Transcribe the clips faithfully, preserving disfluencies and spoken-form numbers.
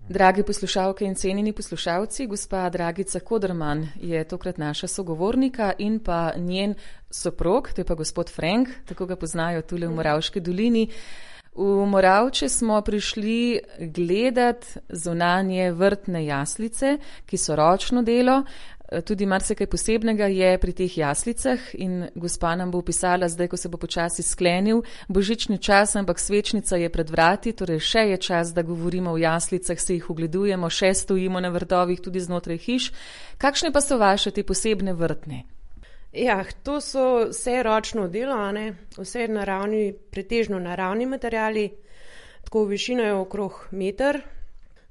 Dragi poslušalke in cenjeni poslušalci, gospa Dragica Koderman je tokrat naša sogovornika in pa njen soprog, to je pa gospod Frank, tako ga poznajo tule v Moravški dolini. V Moravče smo prišli gledat zunanje vrtne jaslice, ki so ročno delo. Tudi marsikaj posebnega je pri teh jaslicah in gospa nam bo opisala zdaj, ko se bo počasi sklenil božični čas, ampak svečnica je pred vrati, torej še je čas, da govorimo o jaslicah, se jih ogledujemo, še stojimo na vrtovih tudi znotraj hiš. Kakšne pa so vaše te posebne vrtne? Ja, to so vse ročno delo, a ne? Vse naravni, pretežno naravni materiali, tako višina je okrog meter.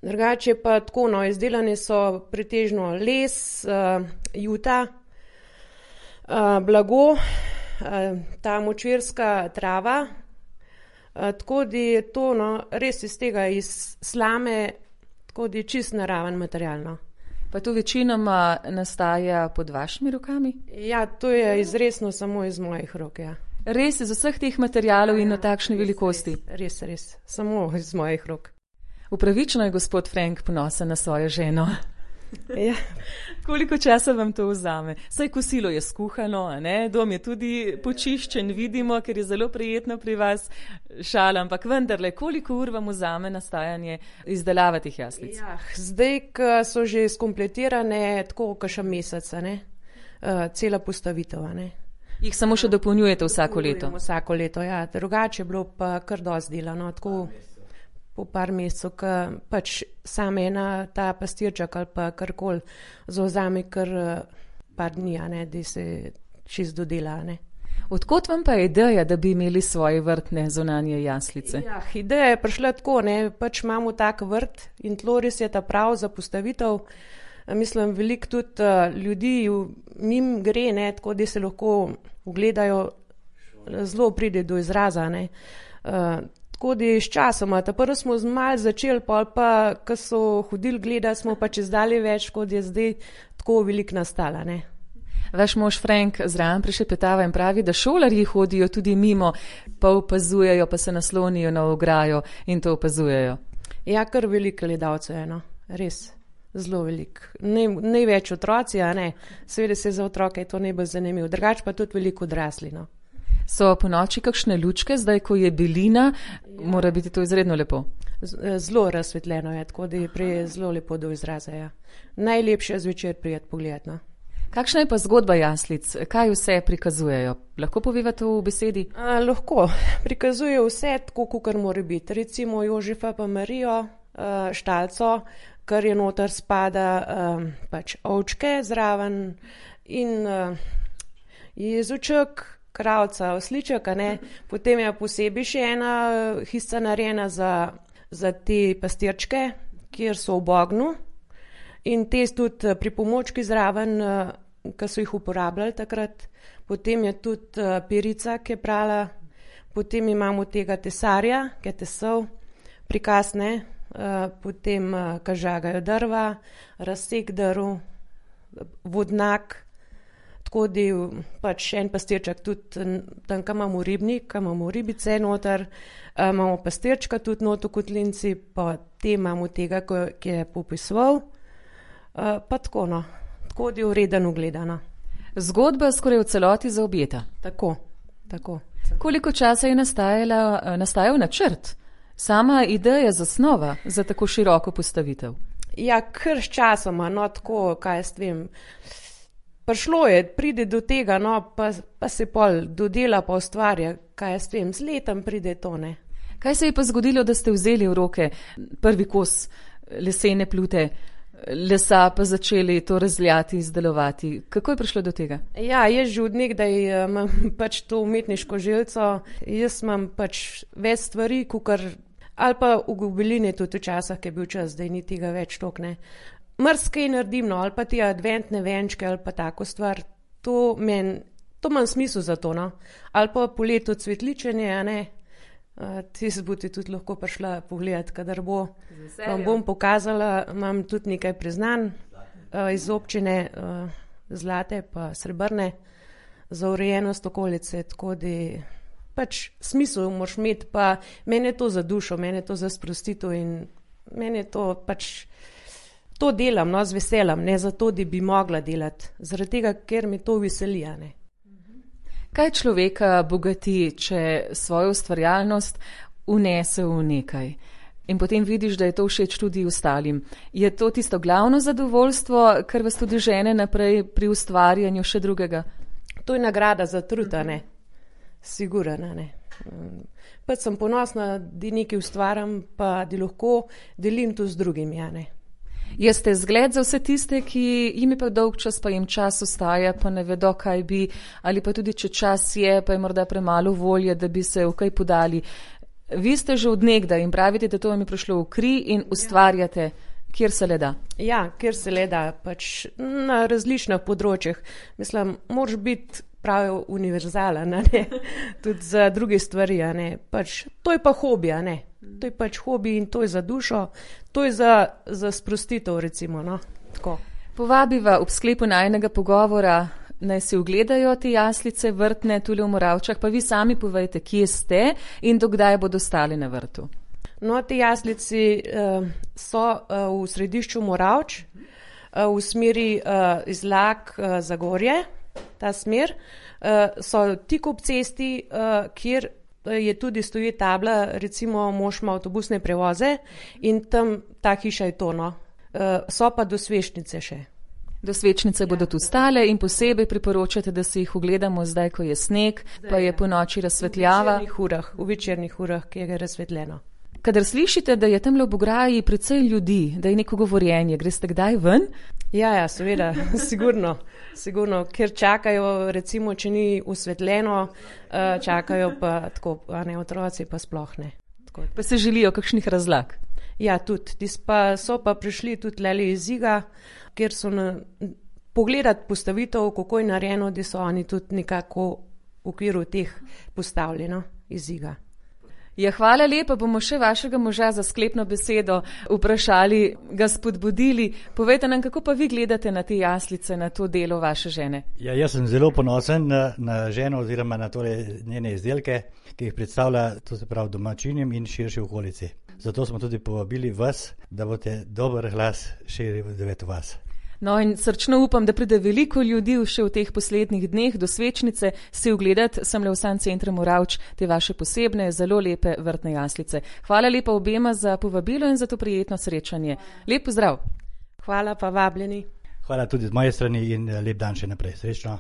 Drugače pa tako, no, izdelane so pretežno les, uh, juta, uh, blago, uh, ta močvirska trava, uh, tako da je to, no, res iz tega, iz slame, tako da je čist naraven materialno. Pa to večinoma nastaja pod vašimi rokami? Ja, to je izresno samo iz mojih rok, ja. Res, iz vseh teh materialov in na takšni res, velikosti? Res, res, res, samo iz mojih rok. Upravično je gospod Frank ponosen na svojo ženo. Ja. Koliko časa vam to vzame? Saj kosilo je skuhano, a ne? Dom je tudi počiščen, vidimo, ker je zelo prijetno pri vas, šala, ampak vendarle, koliko ur vam vzame nastajanje izdelava teh jaslic? Ja, zdaj, ko so že skompletirane, tako kakšen mesec, a ne? Uh, cela postavitev, a ne? Jih samo še dopolnjujete vsako leto? Vsako leto, ja. Drugače je bilo pa kar dosti dela, no, tako po par mesecev, ko pač sam ena ta pastirček ali pa karkoli zauzame kar par dni, a ne, da se čist dodela, a ne. Odkot vam pa je ideja, da bi imeli svoje vrtne zunanje jaslice? Ja, ideja je prišla tako, ne, pač imamo tak vrt in tlo res je ta prav za postavitev. Mislim, veliko tudi uh, ljudi mim gre, ne, tako da se lahko ugledajo, zelo pride do izraza, ne. Uh, Tako da s časoma, ta prvo smo malo začeli, pol pa, ko so hodili gledati, smo pa čez dalje več, kot je zdaj tako veliko nastala, ne. Vaš mož Frank zraven prišepetava in pravi, da šolarji hodijo tudi mimo, pa opazujejo, pa se naslonijo na ograjo in to opazujejo. Ja, kar veliko gledalcev je, no, res, zelo veliko. Ne, največ otroci, a ne, seveda se za otroke je to najbolj zanimivo, drugače pa tudi veliko odrasli, no. So po noči kakšne lučke, zdaj ko je belina, ja. Mora biti to izredno lepo. Zelo razsvetljeno je, tako da je prej zelo lepo do izraza, ja. Najlepše zvečer prijeti pogled, no. Kakšna je pa zgodba jaslic? Kaj vse prikazujejo? Lahko povevate v besedi? A, lahko. Prikazujejo vse tako, kakor mora biti. Recimo Jožefa pa Marijo, štalco, kar je noter spada pač ovčke zraven in Jezuček, kravca, osliček, a ne, potem je posebej še ena hišca narejena za, za te pastirčke, kjer so v bognu in te tudi pripomočki zraven, ki so jih uporabljali takrat, potem je tudi perica, ki je prala, potem imamo tega tesarja, ki je tesal, prikaz, ne, potem, ki žagajo drva, razsek drv, vodnak. Tako da pač en pastirček tudi tam, kam imamo ribnik, kam imamo ribice noter, imamo pastirčka tudi noter v kotlinci, pa te imamo tega, ki je popisoval, pa tako, no, tako da je ureden ugledano. Zgodba skoraj v celoti zaobjeta. Tako, tako. Koliko časa je nastajala, nastajal načrt? Sama ideja zasnova za tako široko postavitev? Ja, kar s časoma, no, tako, kaj jaz vem. Prišlo je, pride do tega, no, pa, pa se pol dodela, pa ustvarja, kaj jaz vem, z letom pride to, ne. Kaj se je pa zgodilo, da ste vzeli v roke prvi kos lesene plute, lesa pa začeli to razljati, izdelovati? Kako je prišlo do tega? Ja, jaz že od nekdaj imam pač to umetniško želco, jaz imam pač več stvari, kukar, ali pa v gobeline tudi včasih, ki je bil čas, da ni tega več tok, ne. Mrskaj naredim, no, ali pa te adventne venčke, ali pa tako stvar, to men, to imam smisel za to, no, ali pa po letu cvetličenje, a ne, uh, ti se boste tudi lahko prišla pogledati, kadar bo, vam bom pokazala, imam tudi nekaj priznanj uh, iz občine uh, zlate pa srebrne za urejenost okolice, tako da pač smisel moraš imeti, pa mene je to za dušo, mene je to za sprostitev in meni je to pač, to delam, no, z veseljem, ne zato, da bi mogla delati, zaradi tega, ker mi to veseli, a ne. Kaj človeka bogati, če svojo ustvarjalnost unese v nekaj in potem vidiš, da je to všeč tudi ostalim? Je to tisto glavno zadovoljstvo, kar vas tudi žene naprej pri ustvarjanju še drugega? To je nagrada za trud, a ne. Sigurno, ne. Pač sem ponosna, da nekaj ustvarjam, pa da lahko delim to z drugimi, a ne. Jeste zgled za vse tiste, ki jim je pa dolg čas, pa jim čas ostaja, pa ne vedo, kaj bi, ali pa tudi, če čas je, pa je morda premalo volje, da bi se v kaj podali. Vi ste že od nekdaj in pravite, da to vam je prišlo v kri in ustvarjate, kjer se le da. Ja, kjer se le da, pač na različnih področjih. Mislim, moraš biti pravi univerzalen, a ne, tudi za druge stvari, a ne. Pač, to je pa hobi, a ne. To je pač hobi in to je za dušo, to je za, za sprostitev, recimo, no, tako. Povabiva ob sklepu najinega pogovora, naj si ogledajo te jaslice vrtne tule v Moravčah, pa vi sami povejte, kje ste in dokdaj bodo stali na vrtu. No, te jaslici uh, so uh, v središču Moravč, uh, v smeri uh, Izlak uh, Zagorje, ta smer, uh, so tik ob cesti, uh, kjer je tudi stoji tabla, recimo mož ima avtobusne prevoze in tam ta hiša je to, no. Uh, so pa do Svečnice še. Do Svečnice ja. Bodo tu stale in posebej priporočate, da si jih ogledamo zdaj, ko je sneg, zdaj, pa je po noči razsvetljava. V večernih urah, v večernih urah, ki je razsvetljeno. Kadar slišite, da je tam v Bograji precej ljudi, da je neko govorjenje, greste kdaj ven? Ja, ja, seveda, sigurno, sigurno, ker čakajo, recimo, če ni osvetljeno, čakajo pa tako, a ne, otroci pa sploh ne. Tako. Pa se želijo kakšnih razlag? Ja, tudi, pa so pa prišli tudi leli iz Iga, kjer so na, pogledati postavitev, kako je narejeno, da so oni tudi nekako v okviru teh postavljeno iz Iga. Ja, hvala lepa, bomo še vašega moža za sklepno besedo vprašali, ga spodbudili. Povejte nam, kako pa vi gledate na te jaslice, na to delo vaše žene? Ja, jaz sem zelo ponosen na, na ženo oziroma na tole njene izdelke, ki jih predstavlja, to se pravi, domačinom in širši okolici. Zato smo tudi povabili vas, da boste dober glas širili v vas. No in srčno upam, da pride veliko ljudi še v teh poslednjih dneh do Svečnice si ogledati sem le v San Centru Moravč te vaše posebne, zelo lepe vrtne jaslice. Hvala lepa obema za povabilo in za to prijetno srečanje. Lep pozdrav. Hvala pa vabljeni. Hvala tudi z moje strani in lep dan še naprej. Srečno.